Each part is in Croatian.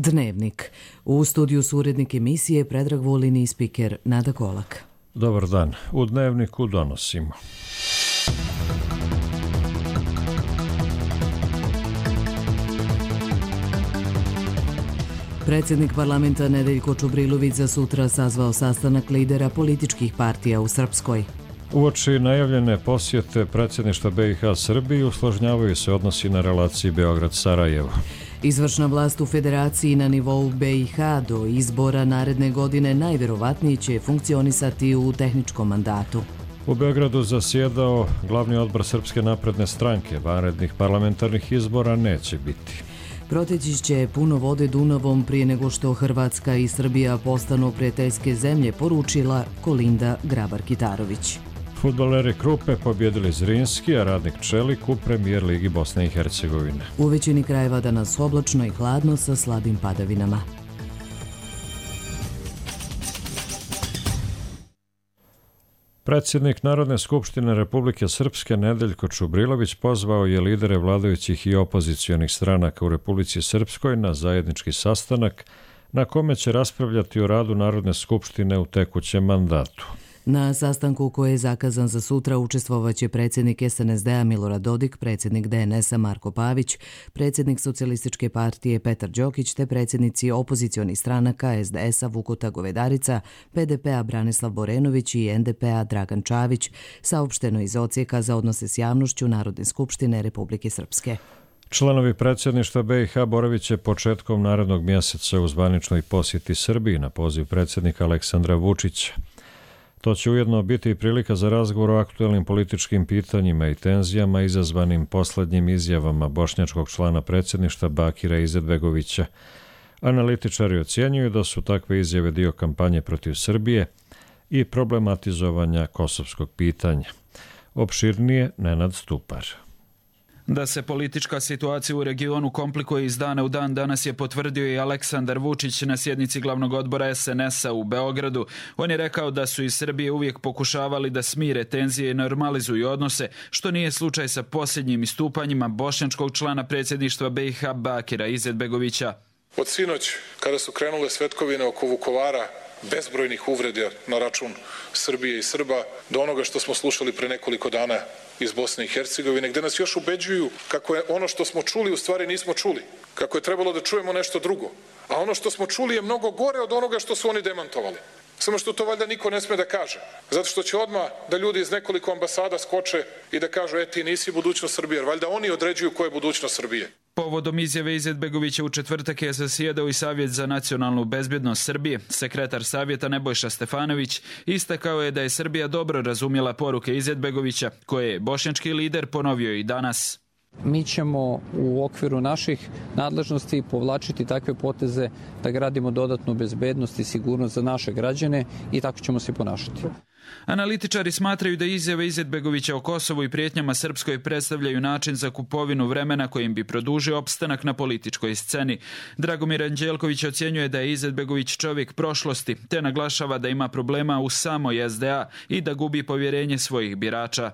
Dnevnik. U studiju su urednik emisije Predrag Vulin i spiker Nada Kolak. Dobar dan. U Dnevniku donosimo. Predsjednik parlamenta Nedeljko Čubrilović za sutra sazvao sastanak lidera političkih partija u Srpskoj. Uoči najavljene posjete predsjedništva BiH Srbiji usložnjavaju se odnosi na relaciji Beograd-Sarajevo. Izvršna vlast u federaciji na nivou BiH do izbora naredne godine najvjerovatnije će funkcionisati u tehničkom mandatu. U Beogradu zasjedao glavni odbor Srpske napredne stranke. Vanrednih parlamentarnih izbora neće biti. Proteći će puno vode Dunavom prije nego što Hrvatska i Srbija postanu prijateljske zemlje, poručila Kolinda Grabar-Kitarović. Fudbaleri Krupe pobjedili Zrinski, a Radnik Čelik u premijer ligi Bosne i Hercegovine. U većini krajeva danas oblačno i hladno sa slabim padavinama. Predsjednik Narodne skupštine Republike Srpske Nedeljko Čubrilović pozvao je lidere vladajućih i opozicionih stranaka u Republici Srpskoj na zajednički sastanak na kome će raspravljati o radu Narodne skupštine u tekućem mandatu. Na sastanku koji je zakazan za sutra učestvovaće predsjednik SNSD-a Milorad Dodik, predsjednik DNS-a Marko Pavić, predsjednik Socijalističke partije Petar Đokić te predsjednici opozicionih stranaka SDS-a Vukota Govedarica, PDP-a Branislav Borenović i NDP-a Dragan Čavić, saopšteno iz odsjeka za odnose s javnošću Narodne skupštine Republike Srpske. Članovi predsjedništva BiH boravit će početkom narednog mjeseca u zvaničnoj posjeti Srbiji na poziv predsjednika Aleksandra Vučića. To će ujedno biti i prilika za razgovor o aktuelnim političkim pitanjima i tenzijama izazvanim posljednjim izjavama bošnjačkog člana predsjedništva Bakira Izetbegovića. Analitičari ocjenjuju da su takve izjave dio kampanje protiv Srbije i problematizovanja kosovskog pitanja. Opširnije Nenad Stupar. Da se politička situacija u regionu komplikuje iz dana u dan, danas je potvrdio i Aleksandar Vučić na sjednici glavnog odbora SNS-a u Beogradu. On je rekao da su iz Srbije uvijek pokušavali da smire tenzije i normalizuju odnose, što nije slučaj sa posljednjim istupanjima bošnjačkog člana predsjedništva BiH Bakira Izetbegovića. Od sinoć, kada su krenule svetkovine oko Vukovara, bezbrojnih uvreda na račun Srbije i Srba, do onoga što smo slušali pre nekoliko dana iz Bosne i Hercegovine, gde nas još ubeđuju kako je ono što smo čuli u stvari nismo čuli, kako je trebalo da čujemo nešto drugo, a ono što smo čuli je mnogo gore od onoga što su oni demantovali. Samo što to valjda niko ne sme da kaže, zato što će odmah da ljudi iz nekoliko ambasada skoče i da kažu ti nisi budućnost Srbije, jer valjda oni određuju ko je budućnost Srbije. Povodom izjave Izetbegovića u četvrtak je zasjedao i Savjet za nacionalnu bezbjednost Srbije. Sekretar savjeta Nebojša Stefanović istakao je da je Srbija dobro razumjela poruke Izetbegovića, koje je bošnjački lider ponovio i danas. Mi ćemo u okviru naših nadležnosti povlačiti takve poteze da gradimo dodatnu bezbednost i sigurnost za naše građane i tako ćemo se ponašati. Analitičari smatraju da izjave Izetbegovića o Kosovu i prijetnjama Srpskoj predstavljaju način za kupovinu vremena kojim bi produžio opstanak na političkoj sceni. Dragomir Anđelković ocjenjuje da je Izetbegović čovjek prošlosti, te naglašava da ima problema u samoj SDA i da gubi povjerenje svojih birača.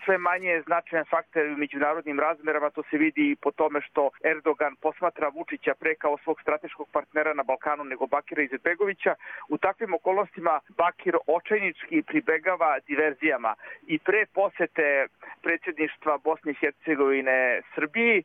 Sve manje je značajan faktor u međunarodnim razmerama, to se vidi i po tome što Erdogan posmatra Vučića pre kao svog strateškog partnera na Balkanu nego Bakira Izetbegovića. U takvim okolnostima Bakir očajnički pribegava diverzijama i pre posete predsjedništva Bosne i Hercegovine Srbiji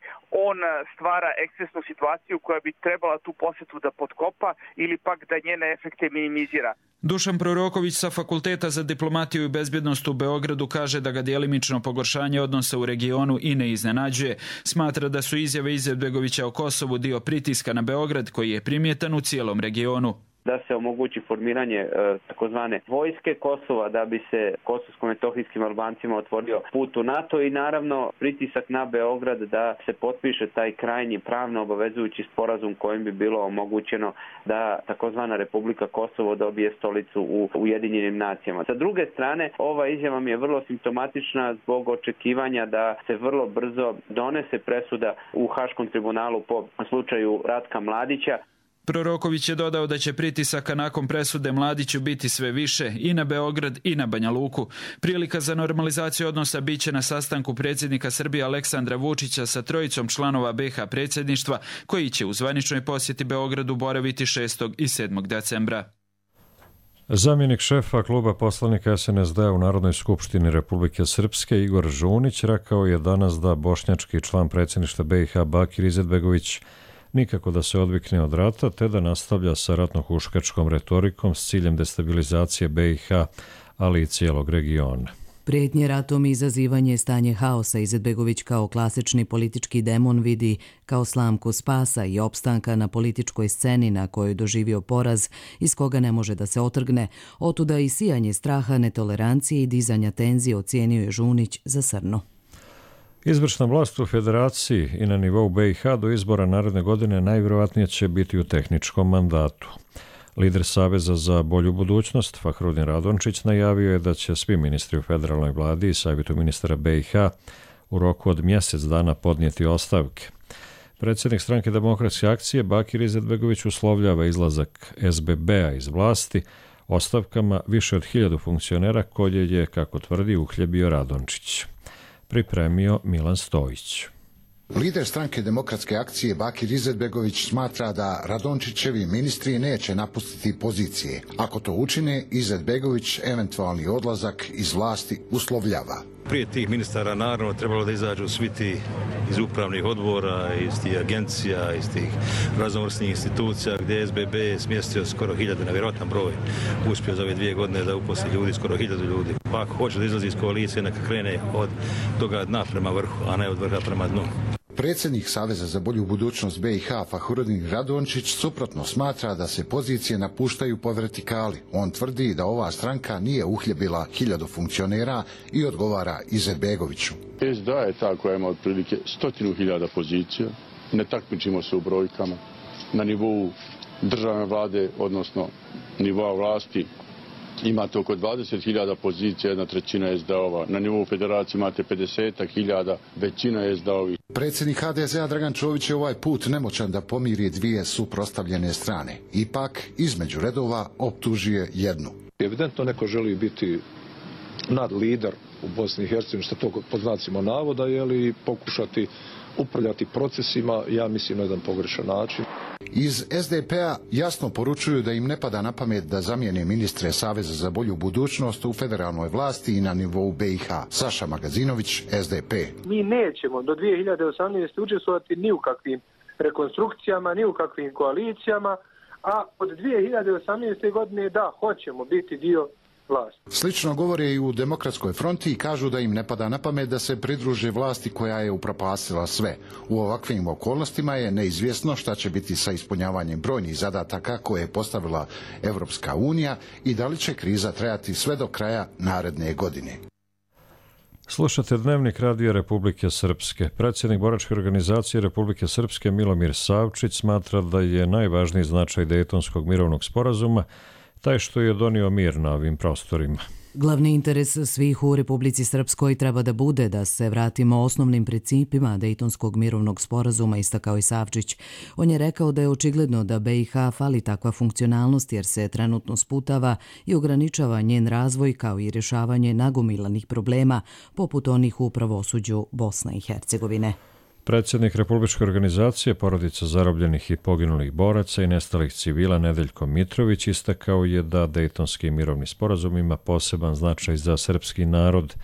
on stvara ekscesnu situaciju koja bi trebala tu posetu da potkopa ili pak da njene efekte minimizira. Dušan Proroković sa Fakulteta za diplomatiju i bezbjednost u Beogradu kaže da ga djelimično pogoršanje odnosa u regionu i ne iznenađuje. Smatra da su izjave Izetbegovića o Kosovu dio pritiska na Beograd koji je primjetan u cijelom regionu. Da se omogući formiranje takozvane vojske Kosova, da bi se kosovsko-metohijskim Albancima otvorio put u NATO i naravno pritisak na Beograd da se potpiše taj krajnji pravno obavezujući sporazum kojim bi bilo omogućeno da takozvana Republika Kosovo dobije stolicu u Ujedinjenim nacijama. Sa druge strane, ova izjava mi je vrlo simptomatična zbog očekivanja da se vrlo brzo donese presuda u Haškom tribunalu po slučaju Ratka Mladića. Proroković je dodao da će pritisaka nakon presude Mladiću biti sve više i na Beograd i na Banja Luku. Prilika za normalizaciju odnosa biće na sastanku predsjednika Srbije Aleksandra Vučića sa trojicom članova BiH predsjedništva koji će u zvaničnoj posjeti Beogradu boraviti 6. i 7. decembra. Zamjenik šefa kluba poslanika SNSD u Narodnoj skupštini Republike Srpske Igor Žunić rekao je danas da bošnjački član predsjedništva BiH Bakir Izetbegović nikako da se odvikne od rata, te da nastavlja sa ratno-huškačkom retorikom s ciljem destabilizacije BiH, ali i cijelog regiona. Prijetnje ratom i izazivanje stanje haosa Izetbegović kao klasični politički demon vidi kao slamku spasa i opstanka na političkoj sceni na kojoj doživio poraz iz koga ne može da se otrgne, otuda i sijanje straha, netolerancije i dizanja tenzije ocijenio je Žunić za srno. Izvršna vlast u federaciji i na nivou BiH do izbora naredne godine najvjerojatnije će biti u tehničkom mandatu. Lider Saveza za bolju budućnost, Fahrudin Radončić, najavio je da će svi ministri u federalnoj vladi i savjetu ministara BiH u roku od mjesec dana podnijeti ostavke. Predsjednik stranke Demokratske akcije Bakir Izetbegović uslovljava izlazak SBB-a iz vlasti ostavkama više od 1000 funkcionera koje je, kako tvrdi, uhljebio Radončić. Pripremio Milan Stojić. Lider stranke Demokratske akcije Bakir Izetbegović smatra da Radončićevi ministri neće napustiti pozicije. Ako to učine, Izetbegović eventualni odlazak iz vlasti uslovljava. Prije tih ministara naravno trebalo da izađu svi ti iz upravnih odbora, iz tih agencija, iz tih raznovrsnih institucija gdje je SBB smjestio skoro 1000, nevjerojatan broj. Uspio za ove 2 godine da uposli ljudi, skoro 1000 ljudi. Pa ako hoće da izlazi iz koalicije, neka krene od toga dna prema vrhu, a ne od vrha prema dnu. Predsjednik Saveza za bolju budućnost BiH Fahrudin Radončić suprotno smatra da se pozicije napuštaju po vertikali. On tvrdi da ova stranka nije uhljebila 1000 funkcionera i odgovara Izetbegoviću. SDA je ta koja ima otprilike 100.000 pozicija. Ne takmičimo se u brojkama. Na nivou državne vlade, odnosno nivoa vlasti, imate oko 20.000 pozicija, 1/3 SDA-ova. Na nivou federacije imate 50.000, većina SDA-ovih. Predsjednik HDZ-a Dragan Čović je ovaj put nemoćan da pomiri dvije suprotstavljene strane. Ipak, između redova optužuje jednu. Evidentno neko želi biti nadlider u Bosni i Hercegovini, što to pod znacima navoda, i pokušati upravljati procesima, ja mislim, na jedan pogrešan način. Iz SDP-a jasno poručuju da im ne pada na pamet da zamijene ministre Saveza za bolju budućnost u federalnoj vlasti i na nivou BiH. Saša Magazinović, SDP. Mi nećemo do 2018. učestvovati ni u kakvim rekonstrukcijama, ni u kakvim koalicijama, a od 2018. godine da, hoćemo biti dio vlasti. Slično govore i u Demokratskoj fronti i kažu da im ne pada na pamet da se pridruže vlasti koja je upropastila sve. U ovakvim okolnostima je neizvjesno šta će biti sa ispunjavanjem brojnih zadataka koje je postavila Evropska unija i da li će kriza trajati sve do kraja naredne godine. Slušate Dnevnik Radija Republike Srpske. Predsjednik boračke organizacije Republike Srpske Milomir Savčić smatra da je najvažniji značaj Dejtonskog mirovnog sporazuma taj što je donio mir na ovim prostorima. Glavni interes svih u Republici Srpskoj treba da bude da se vratimo osnovnim principima Dejtonskog mirovnog sporazuma, istakao i Savčić. On je rekao da je očigledno da BiH fali takva funkcionalnost jer se trenutno sputava i ograničava njen razvoj kao i rješavanje nagomilanih problema poput onih u pravosuđu Bosne i Hercegovine. Predsjednik Republičke organizacije porodica zarobljenih i poginulih boraca i nestalih civila Nedeljko Mitrović istakao je da Dejtonski mirovni sporazum ima poseban značaj za srpski narod.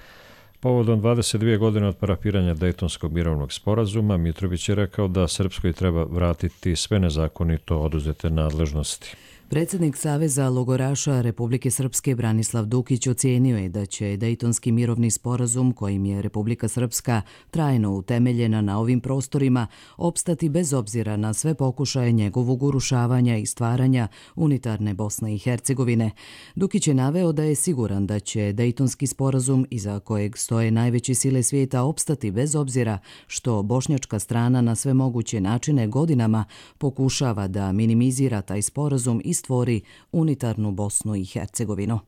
Povodom 22 godine od parafiranja Dejtonskog mirovnog sporazuma, Mitrović je rekao da Srpskoj treba vratiti sve nezakonito oduzete nadležnosti. Predsjednik Saveza logoraša Republike Srpske Branislav Dukić ocijenio je da će Dejtonski mirovni sporazum kojim je Republika Srpska trajno utemeljena na ovim prostorima opstati bez obzira na sve pokušaje njegovog urušavanja i stvaranja unitarne Bosne i Hercegovine. Dukić je naveo da je siguran da će Dejtonski sporazum iza kojeg stoje najveće sile svijeta opstati bez obzira što bošnjačka strana na sve moguće načine godinama pokušava da minimizira taj sporazum i stvori unitarnu Bosnu i Hercegovinu.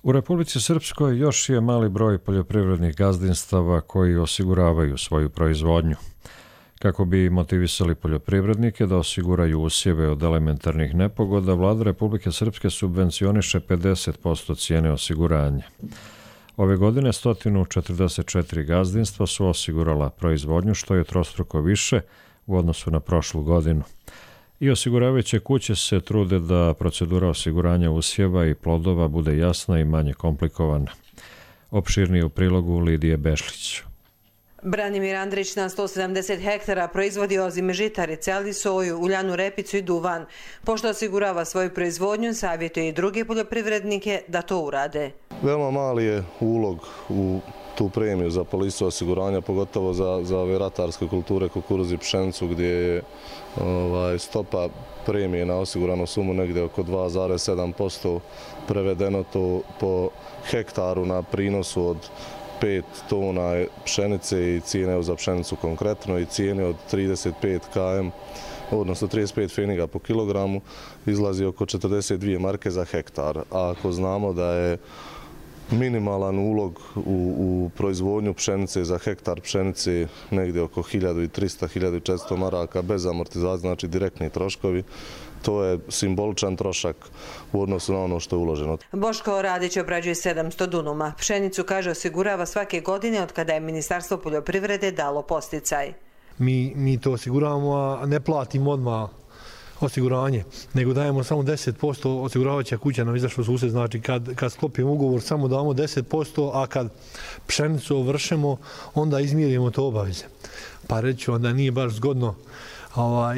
U Republici Srpskoj još je mali broj poljoprivrednih gazdinstava koji osiguravaju svoju proizvodnju. Kako bi motivisali poljoprivrednike da osiguraju usjeve od elementarnih nepogoda, Vlada Republike Srpske subvencioniše 50% cijene osiguranja. Ove godine 144 gazdinstva su osigurala proizvodnju, što je trostruko više u odnosu na prošlu godinu. I osiguravajuće kuće se trude da procedura osiguranja usjeva i plodova bude jasna i manje komplikovana. Opširnije u prilogu Lidije Bešlić. Branimir Andrić na 170 hektara proizvodi ozime žitarice, ali soju, uljanu repicu i duvan. Pošto osigurava svoju proizvodnju, savjetuje i druge poljoprivrednike da to urade. Veoma mali je ulog u tu premiju za policu osiguranja, pogotovo za ove ratarske kulture, kukuruz i pšenicu, gdje je stopa premije na osiguranu sumu negdje oko 2,7%, prevedeno to po hektaru na prinosu od 5 tona pšenice i cijene za pšenicu konkretno i cijene od 35 km, odnosno 35 pfeniga po kilogramu, izlazi oko 42 marke za hektar. A ako znamo da je minimalan ulog u proizvodnju pšenice za hektar pšenice negdje oko 1300-1400 maraka bez amortizacije, znači direktni troškovi, to je simboličan trošak u odnosu na ono što je uloženo. Boško Radić obrađuje 700 dunuma. Pšenicu, kaže, osigurava svake godine od kada je Ministarstvo poljoprivrede dalo posticaj. Mi to osiguravamo, a ne platimo odmah osiguranje, nego dajemo samo 10%, osiguravajuća kuća nam izašla u susret, znači kad sklopimo ugovor samo damo 10%, a kad pšenicu ovršemo, onda izmirimo to obaveze. Pa reću, onda nije baš zgodno,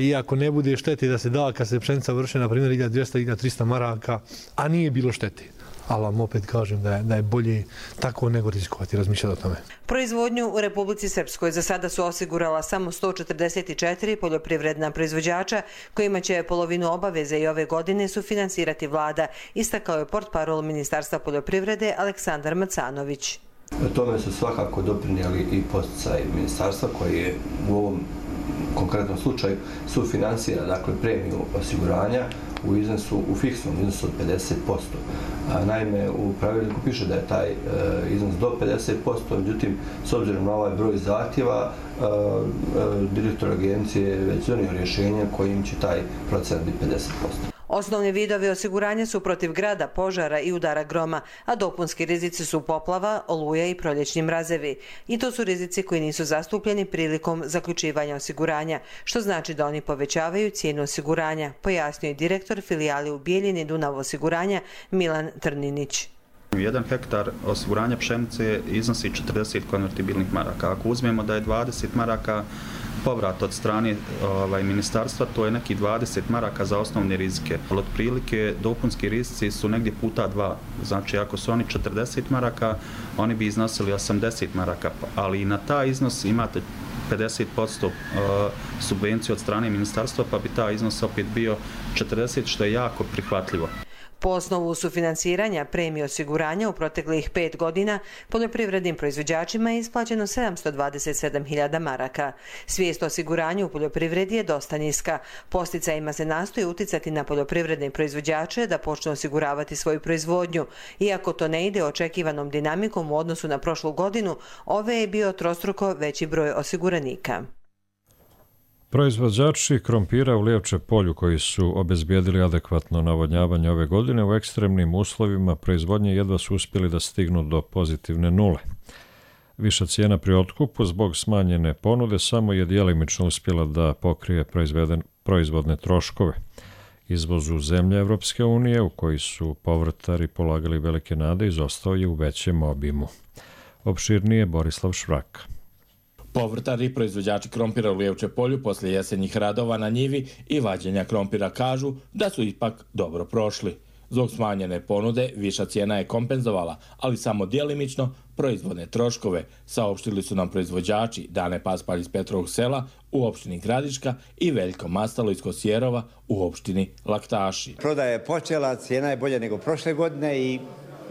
iako ne bude štete da se da kad se pšenica vrše, na primjer 1200-1300 maraka, a nije bilo štete. Ali vam opet kažem da je bolje tako nego rizikovati, razmišljati o tome. Proizvodnju u Republici Srpskoj za sada su osigurala samo 144 poljoprivredna proizvođača, kojima će polovinu obaveze i ove godine sufinansirati vlada, istakao je portparol Ministarstva poljoprivrede Aleksandar Macanović. Tome su svakako doprinijeli i posticaj ministarstva koji je u ovom konkretnom slučaju sufinansira, dakle, premiju osiguranja u fiksnom iznosu od 50%. Naime, u pravilniku piše da je taj iznos do 50%, međutim, s obzirom na ovaj broj zahtjeva, direktor agencije je već donio rješenje kojim će taj procent biti 50%. Osnovni vidovi osiguranja su protiv grada, požara i udara groma, a dopunski rizici su poplava, oluja i proljećni mrazevi. I to su rizici koji nisu zastupljeni prilikom zaključivanja osiguranja, što znači da oni povećavaju cijenu osiguranja, pojasnio je direktor filijale u Bijeljini Dunav osiguranja Milan Trninić. 1 hektar osiguranja pšenice iznosi 40 konvertibilnih maraka. Ako uzmemo da je 20 maraka povrat od strane ministarstva, to je neki 20 maraka za osnovne rizike. Ali otprilike dopunski rizici su negdje puta 2. Znači ako su oni 40 maraka, oni bi iznosili 80 maraka, ali i na taj iznos imate 50% subvenciju od strane ministarstva, pa bi taj iznos opet bio 40, što je jako prihvatljivo. Po osnovu sufinansiranja premije osiguranja u proteklih 5 godina poljoprivrednim proizvođačima je isplaćeno 727.000 maraka. Svijest o osiguranju u poljoprivredi je dosta niska. Posticajima se nastoji uticati na poljoprivredne proizvođače da počnu osiguravati svoju proizvodnju. Iako to ne ide očekivanom dinamikom u odnosu na prošlu godinu, ove je bio trostruko veći broj osiguranika. Proizvođači krompira u Lijevče polju koji su obezbijedili adekvatno navodnjavanje ove godine u ekstremnim uslovima proizvodnje jedva su uspjeli da stignu do pozitivne nule. Viša cijena pri otkupu zbog smanjene ponude samo je djelimično uspjela da pokrije proizvodne troškove. Izvoz u zemlje Evropske unije, u koji su povrtari polagali velike nade, izostao je u većem obimu. Opširnije Borislav Švrak. Povrtari i proizvođači krompira u Lijevče polju poslije jesenjih radova na njivi i vađenja krompira kažu da su ipak dobro prošli. Zbog smanjene ponude viša cijena je kompenzovala, ali samo djelimično proizvodne troškove, saopštili su nam proizvođači Dane Paspalj iz Petrovog sela u opštini Gradiška i Veljko Mastalo iz Kosjerova u opštini Laktaši. Prodaja je počela, cijena je bolja nego prošle godine i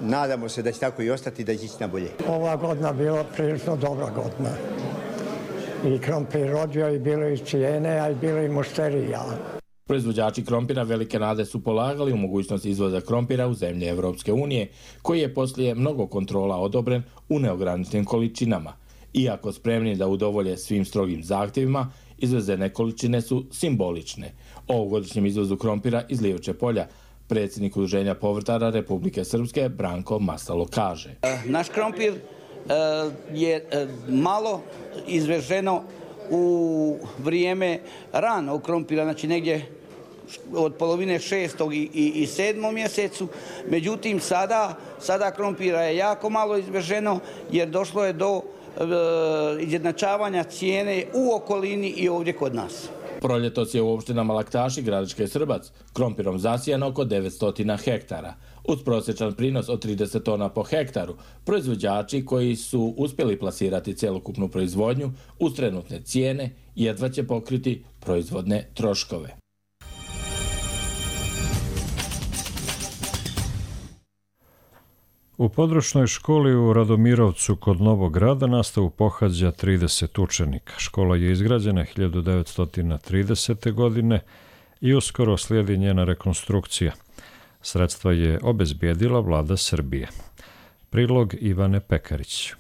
nadamo se da će tako i ostati, da će ići na bolje. Ova godina bila prilično dobra godina. I krompir rodio i bilo i cijene, a i bilo i mušterija. Proizvođači krompira velike nade su polagali u mogućnost izvoza krompira u zemlje Evropske unije, koji je poslije mnogo kontrola odobren u neograničenim količinama. Iako spremni da udovolje svim strogim zahtjevima, izvezene količine su simbolične. O ovogodišnjem izvozu krompira iz Lijevče polja predsjednik Udruženja povrtara Republike Srpske Branko Masalo kaže. Naš krompir je malo izveženo u vrijeme ranog krompira, znači negdje od polovine 6. i 7. mjesecu. Međutim, sada krompira je jako malo izveženo jer došlo je do izjednačavanja cijene u okolini i ovdje kod nas. Proljetos je u opštinama Laktaš i Gradiška Srbac krompirom zasijano oko 900 hektara. Uz prosječan prinos od 30 tona po hektaru, proizvođači koji su uspjeli plasirati cjelokupnu proizvodnju uz trenutne cijene jedva će pokriti proizvodne troškove. U područnoj školi u Radomirovcu kod Novog Grada nastavu pohađa 30 učenika. Škola je izgrađena 1930. godine i uskoro slijedi njena rekonstrukcija. Sredstva je obezbijedila vlada Srbije. Prilog Ivane Pekarić.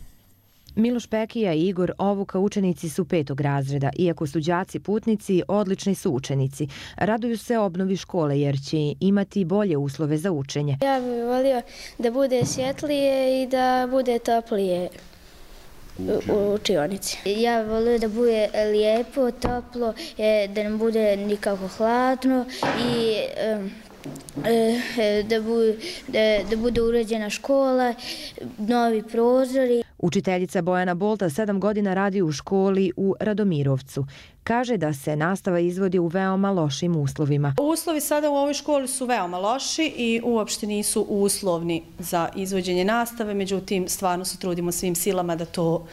Miloš Pekija i Igor Ovuka učenici su 5. razreda. Iako su đaci putnici, odlični su učenici. Raduju se obnovi škole jer će imati bolje uslove za učenje. Ja bih volio da bude svjetlije i da bude toplije u učionici. Ja bih volio da bude lijepo, toplo, da ne bude nikako hladno i da bude uređena škola, novi prozori. Učiteljica Bojana Bolta 7 godina radi u školi u Radomirovcu. Kaže da se nastava izvodi u veoma lošim uslovima. Uslovi sada u ovoj školi su veoma loši i uopšte nisu uslovni za izvođenje nastave, međutim stvarno se trudimo svim silama da to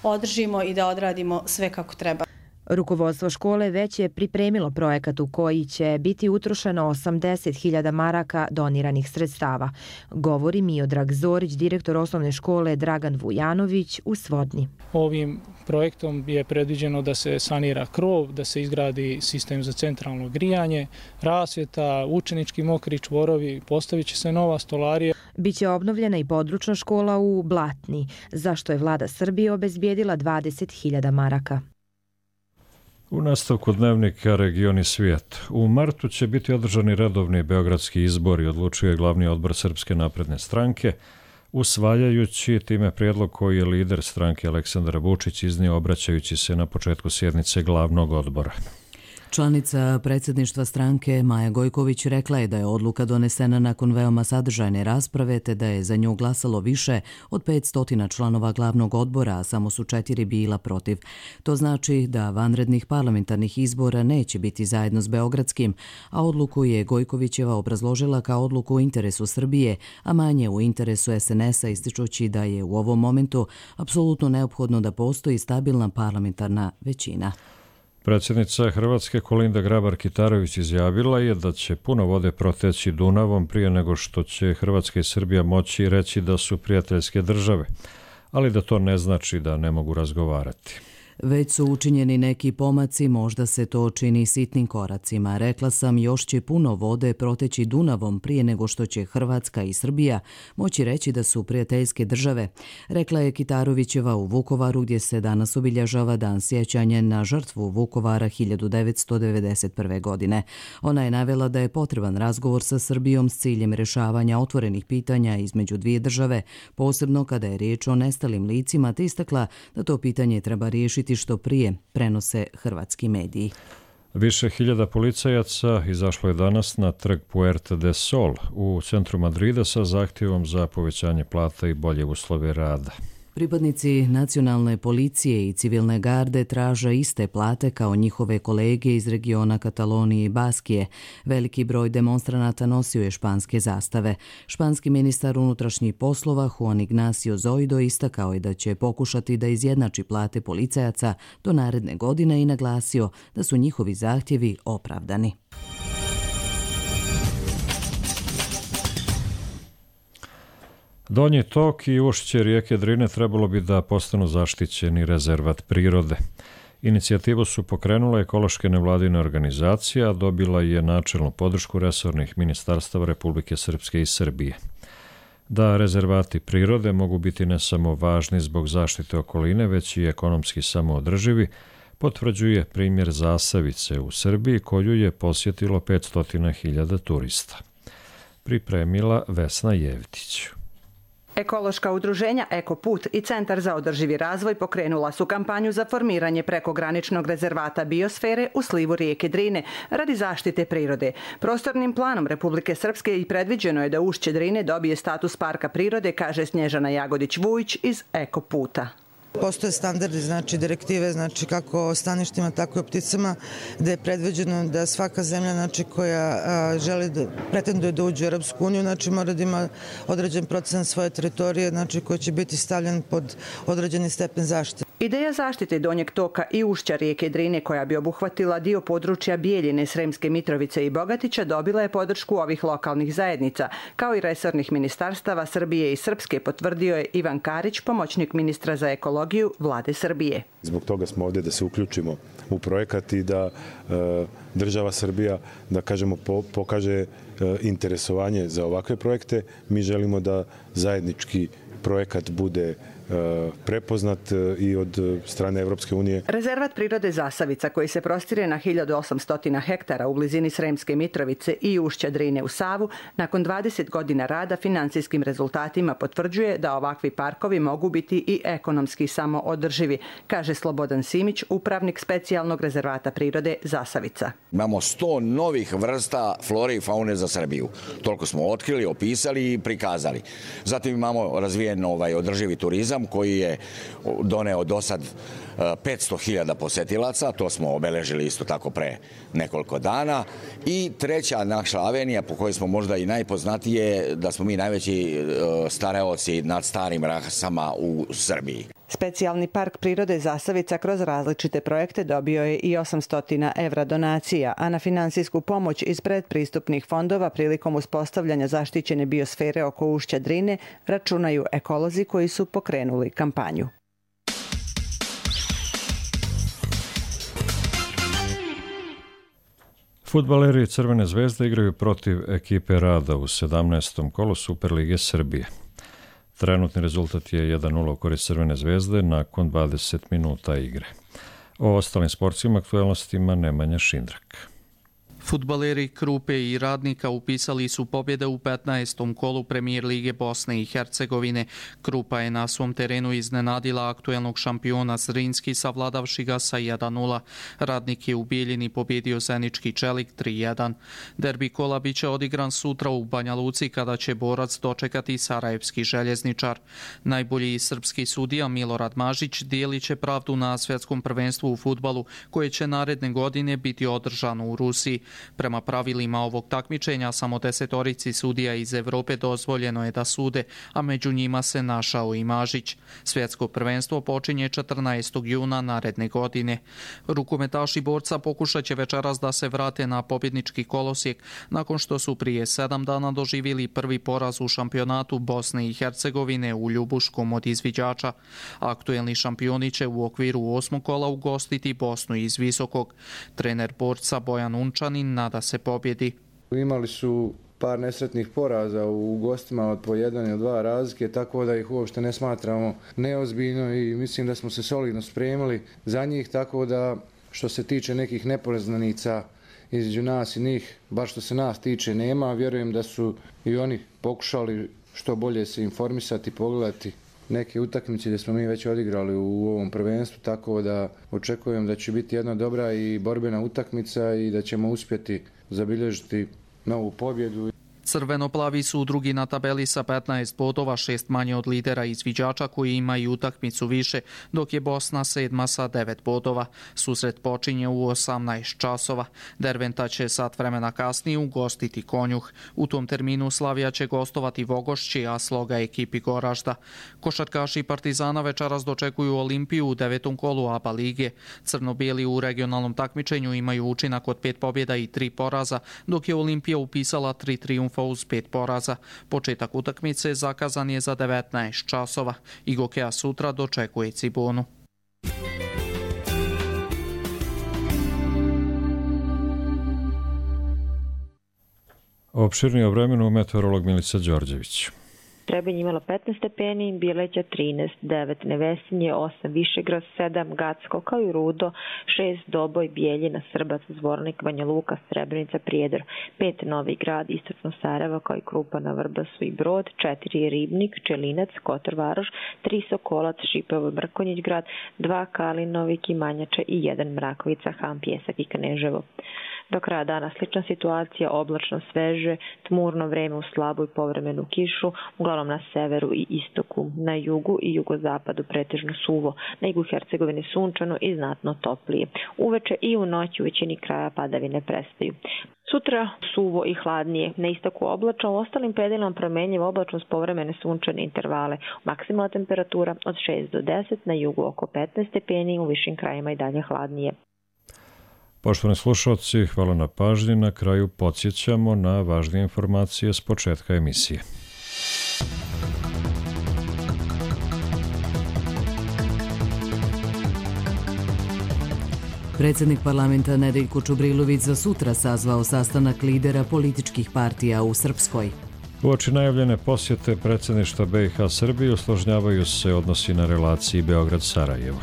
održimo i da odradimo sve kako treba. Rukovodstvo škole već je pripremilo projekat u koji će biti utrošeno 80.000 maraka doniranih sredstava, govori Miodrag Zorić, direktor osnovne škole Dragan Vujanović u Svodni. Ovim projektom je predviđeno da se sanira krov, da se izgradi sistem za centralno grijanje, rasvjeta, učenički mokri čvorovi, postavit će se nova stolarija. Biće obnovljena i područna škola u Blatni, za što je vlada Srbije obezbijedila 20.000 maraka. U nastavku dnevnika Region i svijet. U martu će biti održani redovni beogradski izbori, odlučuje glavni odbor Srpske napredne stranke, usvajajući time prijedlog koji je lider stranke Aleksandar Vučić iznio obraćajući se na početku sjednice glavnog odbora. Članica predsjedništva stranke Maja Gojković rekla je da je odluka donesena nakon veoma sadržajne rasprave te da je za nju glasalo više od 500 članova glavnog odbora, a samo su 4 bila protiv. To znači da vanrednih parlamentarnih izbora neće biti zajedno s beogradskim, a odluku je Gojkovićeva obrazložila kao odluku u interesu Srbije, a manje u interesu SNS-a, ističući da je u ovom momentu apsolutno neophodno da postoji stabilna parlamentarna većina. Predsjednica Hrvatske Kolinda Grabar-Kitarović izjavila je da će puno vode proteći Dunavom prije nego što će Hrvatska i Srbija moći reći da su prijateljske države, ali da to ne znači da ne mogu razgovarati. Već su učinjeni neki pomaci, možda se to čini sitnim koracima. Rekla sam, još će puno vode proteći Dunavom prije nego što će Hrvatska i Srbija moći reći da su prijateljske države, rekla je Kitarovićeva u Vukovaru, gdje se danas obilježava dan sjećanja na žrtvu Vukovara 1991. godine. Ona je navela da je potreban razgovor sa Srbijom s ciljem rješavanja otvorenih pitanja između dvije države, posebno kada je riječ o nestalim licima, te istakla da to pitanje treba riješiti što prije, prenose hrvatski mediji. Više hiljada policajaca izašlo je danas na trg Puerta de Sol u centru Madrida sa zahtjevom za povećanje plata i bolje uslove rada. Pripadnici nacionalne policije i civilne garde traže iste plate kao njihove kolege iz regiona Katalonije i Baskije. Veliki broj demonstranata nosio je španske zastave. Španski ministar unutrašnjih poslova Juan Ignacio Zoido istakao je da će pokušati da izjednači plate policajaca do naredne godine i naglasio da su njihovi zahtjevi opravdani. Donji tok i ušće rijeke Drine trebalo bi da postanu zaštićeni rezervat prirode. Inicijativu su pokrenule ekološke nevladine organizacije, a dobila je načelnu podršku resornih ministarstava Republike Srpske i Srbije. Da rezervati prirode mogu biti ne samo važni zbog zaštite okoline, već i ekonomski samoodrživi, potvrđuje primjer Zasavice u Srbiji koju je posjetilo 500.000 turista. Pripremila Vesna Jevtić. Ekološka udruženja Ekoput i Centar za održivi razvoj pokrenula su kampanju za formiranje prekograničnog rezervata biosfere u slivu rijeke Drine radi zaštite prirode. Prostornim planom Republike Srpske i predviđeno je da ušće Drine dobije status parka prirode, kaže Snježana Jagodić-Vujić iz Ekoputa. Postoje standardi, znači direktive, znači kako o staništima, tako i o pticama, gde je predviđeno da svaka zemlja, znači koja želi da pretenduje da uđe u Europsku uniju, znači mora da ima određen procenat svoje teritorije, znači koji će biti stavljen pod određeni stepen zaštite. Ideja zaštite donjeg toka i ušća rijeke Drine, koja bi obuhvatila dio područja Bijeljine, Sremske Mitrovice i Bogatića, dobila je podršku ovih lokalnih zajednica, kao i resornih ministarstava Srbije i Srpske, potvrdio je Ivan Karić, pomoćnik ministra za ekologiju Vlade Srbije. Zbog toga smo ovdje da se uključimo u projekat i da država Srbija, da kažemo, pokaže interesovanje za ovakve projekte. Mi želimo da zajednički projekat bude prepoznat i od strane Evropske unije. Rezervat prirode Zasavica, koji se prostire na 1800 hektara u blizini Sremske Mitrovice i ušća Drine u Savu, nakon 20 godina rada financijskim rezultatima potvrđuje da ovakvi parkovi mogu biti i ekonomski samoodrživi, kaže Slobodan Simić, upravnik specijalnog rezervata prirode Zasavica. Imamo 100 novih vrsta flore i faune za Srbiju. Toliko smo otkrili, opisali i prikazali. Zatim imamo razvijen održivi turizam koji je doneo do sad 500.000 posetilaca, to smo obeležili isto tako pre nekoliko dana. I treća naša avenija, po kojoj smo možda i najpoznatije, da smo mi najveći staraoci nad starim rasama u Srbiji. Specijalni park prirode Zasavica kroz različite projekte dobio je i 800 evra donacija, a na finansijsku pomoć iz predpristupnih fondova prilikom uspostavljanja zaštićene biosfere oko ušća Drine računaju ekolozi koji su pokrenuli kampanju. Fudbaleri Crvene zvezde igraju protiv ekipe Rada u 17. kolu Superlige Srbije. Trenutni rezultat je 1:0 u korist Crvene zvezde nakon 20 minuta igre. O ostalim sportskim aktualnostima Nemanja Šindrak. Fudbaleri Krupe i Radnika upisali su pobjede u 15. kolu Premijer Lige Bosne i Hercegovine. Krupa je na svom terenu iznenadila aktuelnog šampiona Zrinski, savladavši ga sa 1:0. Radnik je u Bijeljini pobjedio Zenički Čelik 3:1. Derbi kola biće odigran sutra u Banja Luci kada će borac dočekati Sarajevski Željezničar. Najbolji srpski sudija Milorad Mažić dijelit će pravdu na svjetskom prvenstvu u fudbalu koje će naredne godine biti održano u Rusiji. Prema pravilima ovog takmičenja samo 10 sudija iz Evrope dozvoljeno je da sude, a među njima se našao i Mažić. Svjetsko prvenstvo počinje 14. juna naredne godine. Rukometaši borca pokušat će večeras da se vrate na pobjednički kolosijek nakon što su prije 7 dana doživjeli prvi poraz u šampionatu Bosne i Hercegovine u Ljubuškom od izviđača. Aktuelni šampioni će u okviru 8. kola ugostiti Bosnu iz Visokog. Trener borca Bojan Unčanin nada se pobjedi. Imali su par nesretnih poraza u gostima od po 1 ili 2 razlike, tako da ih uopšte ne smatramo neozbiljno i mislim da smo se solidno spremili za njih, tako da što se tiče nekih nepoznanica između nas i njih, bar što se nas tiče nema, vjerujem da su i oni pokušali što bolje se informisati, pogledati neke utakmice gdje smo mi već odigrali u ovom prvenstvu, tako da očekujem da će biti jedna dobra i borbena utakmica i da ćemo uspjeti zabilježiti novu pobjedu. Crveno-plavi su drugi na tabeli sa 15 bodova, 6 manje od lidera izviđača koji imaju utakmicu više, dok je Bosna 7 sa 9 bodova. Susret počinje u 18 časova. Derventa će sat vremena kasnije ugostiti Konjuh. U tom terminu Slavija će gostovati Vogošći, a Sloga ekipi Goražda. Košarkaši Partizana večeras dočekuju Olimpiju u 9. kolu ABA lige. Crno-bijeli u regionalnom takmičenju imaju učinak od 5 pobjeda i 3 poraza, dok je Olimpija upisala 3 trijumfa uz 5 poraza. Početak utakmice zakazan je za 19 časova. Igokeja sutra dočekuje Cibonu. Opširnije o vremenu meteorolog Milica Đorđević. Trebinje imalo 15 stepeni, Bileća 13, 9 Nevesinje, 8 Višegrad, 7 Gacko, kao i Rudo, 6 Doboj, Bijeljina, Srbac, Zvornik, Banja Luka, Srebrenica, Prijedor, 5 Novi Grad, istočno Sarajevo, kao i Krupa na Vrbasu i Brod, 4 Ribnik, Čelinac, Kotor Varoš, 3 Sokolac, Šipovo, Mrkonjić Grad, 2 Kalinovik i Manjače i 1 Mrakovica, Ham, Pjesak i Kneževo. Do kraja dana slična situacija, oblačno sveže, tmurno vreme u slabu i povremenu kišu, uglavnom na severu i istoku, na jugu i jugozapadu pretežno suvo, na jugu Hercegovine sunčano i znatno toplije. Uveče i u noći u većini kraja padavine prestaju. Sutra suvo i hladnije, na istoku oblačno, u ostalim predelima promenljivo oblačno s povremene sunčane intervale. Maksimalna temperatura od 6 do 10, na jugu oko 15 stepeni, u višim krajima i dalje hladnije. Poštovani slušalci, hvala na pažnji. Na kraju podsjećamo na važnije informacije s početka emisije. Predsjednik parlamenta Nedeljko Čubrilović za sutra sazvao sastanak lidera političkih partija u Srpskoj. Uoči najavljene posjete predsjedništva BiH Srbiji usložnjavaju se odnosi na relaciji Beograd-Sarajevo.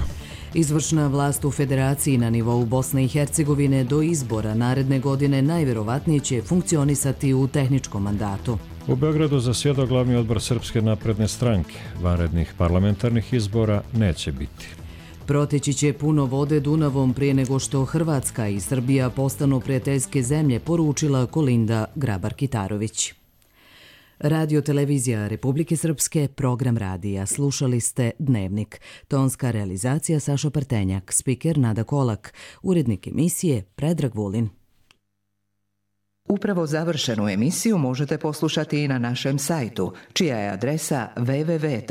Izvršna vlast u federaciji na nivou Bosne i Hercegovine do izbora naredne godine najvjerovatnije će funkcionisati u tehničkom mandatu. U Beogradu zasjedao glavni odbor Srpske napredne stranke. Vanrednih parlamentarnih izbora neće biti. Proteći će puno vode Dunavom prije nego što Hrvatska i Srbija postanu prijateljske zemlje, poručila Kolinda Grabar-Kitarović. Radio televizija Republike Srpske, program radija. Slušali ste Dnevnik. Tonska realizacija Saša Partenjak, spiker Nada Kolak, urednik emisije Predrag Vulin. Upravo završenu emisiju možete poslušati i na našem sajtu, čija je adresa www.rtrs.tv.